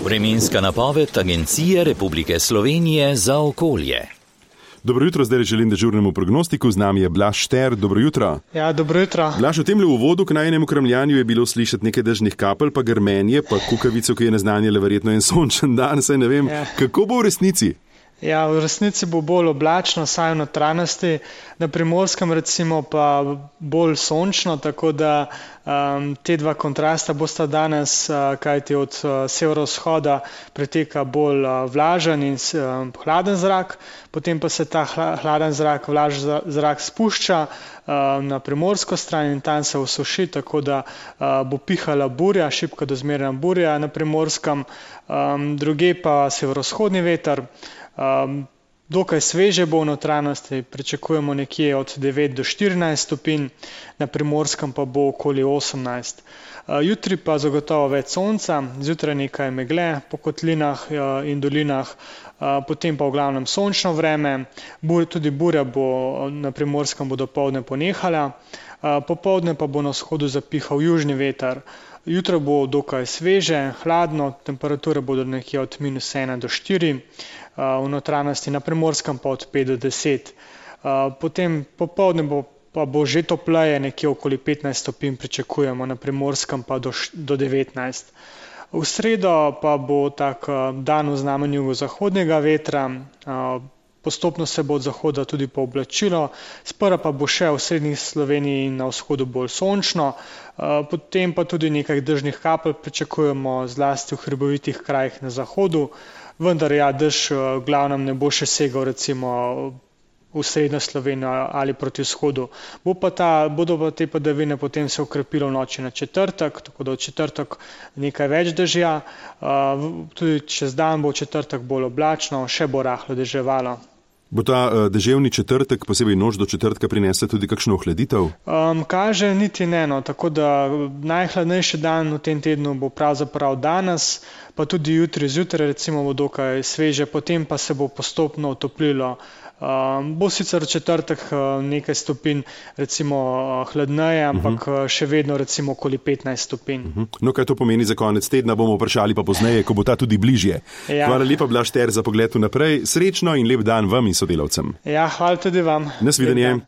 Vremenska napoved Agencije Republike Slovenije za okolje. Dobro jutro, zdaj želim dežurnemu prognostiku, z nami je Blaž Šter, dobro jutro. Ja, dobro jutro. Blaž, v temle uvodu k najinemu kramljanju je bilo slišati nekaj dežnih kapelj, pa grmenje, pa kukavico, ki je naznanjala verjetno en sončen dan, saj ne vem, kako bo v resnici? Ja, v resnici bo bolj oblačno, saj v notranjosti, na Primorskem recimo pa bolj sončno, tako da te dva kontrasta bosta danes, kajti od severovzhoda preteka bolj vlažen in hladen zrak, potem pa se ta hladen zrak, vlažen zrak spušča na primorsko stran in tam se osuši, tako da bo pihala burja, šibka do zmerna burja na Primorskem, druge pa severovzhodni veter. Dokaj sveže bo v notranjosti, pričakujemo nekje od 9 do 14 stopinj, na Primorskem pa bo okoli 18. Jutri pa zagotovo več sonca, zjutraj nekaj megle po kotlinah in dolinah, potem pa v glavnem sončno vreme, tudi burja bo na Primorskem bo dopoldne ponehala, popoldne pa bo na vzhodu zapihal južni veter. Jutro bo dokaj sveže, hladno, temperature bodo nekje od -1 do 4, v notranjosti na Primorskem pa od 5 do 10. Potem popoldne pa bo že topleje, nekje okoli 15 stopinj pričakujemo, na Primorskem pa do 19. V sredo pa bo tak dan v znamenju jugozahodnega vetra, postopno se bo od zahoda tudi pooblačilo, sprva pa bo še v srednji Sloveniji in na vzhodu bolj sončno, potem pa tudi nekaj dežnih kapelj pričakujemo zlasti v hribovitih krajih na zahodu, vendar ja, dež v glavnem ne bo še segal recimo v srednjo Slovenijo ali proti vzhodu. Bodo pa te padavine potem se okrepilo v noči na četrtek, tako da v četrtek nekaj več dežja, tudi čez dan bo v četrtek bolj oblačno, še bo rahlo deževalo. Bo ta deževni četrtek, posebej noč do četrtka, prinesla tudi kakšno ohladitev? Kaže niti ne, no, tako da najhladnejši dan v tem tednu bo pravzaprav danes, pa tudi jutri zjutraj recimo bo dokaj sveže, potem pa se bo postopno otoplilo. Bo sicer v četrtek nekaj stopinj recimo hladneje, ampak še vedno recimo okoli 15 stopinj. No, kaj to pomeni za konec tedna, bomo vprašali pa pozneje, ko bo ta tudi bližje. Ja. Hvala lepa, Blaž Šter, za pogled vnaprej. Srečno in lep dan vam in sodelavcem. Ja, hvala tudi vam. Nasvidenje.